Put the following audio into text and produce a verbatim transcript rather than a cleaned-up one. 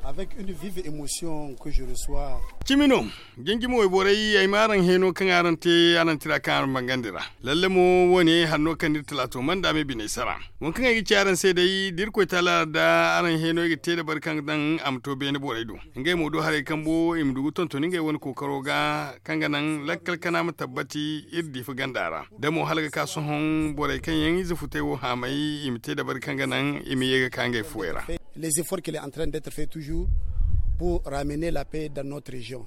Avec une vive émotion que je reçois. Cimi no, jinjimi wayborey, ay ma araŋ hẽeno kaŋ araŋ te araŋ tira kaŋ araŋ bangandi ra. Lalle mo, wo- ne hanno kaŋ iri talaato manda me biney sara. Waŋ kaŋ ay ga ci araŋ se day, da irkoy taala ra da araŋ hẽeno ay ga te dabari kaŋ daŋ a ma to beene borey do. Ngey mo do haray kambo i ma du ga tonton ngey wane kookaro ga, kaŋ ga naŋ lakkal kana ma tabbati iri diifa ganda ra. Da mo hala ga ka sohõ, borey kaŋ yaŋ ize futay wo haamay, i ma te dabari kaŋ ga naŋ i ma ye ga ka ngey fuwey ra. Les efforts qu'il est en train d'être fait toujours pour ramener la paix dans notre région.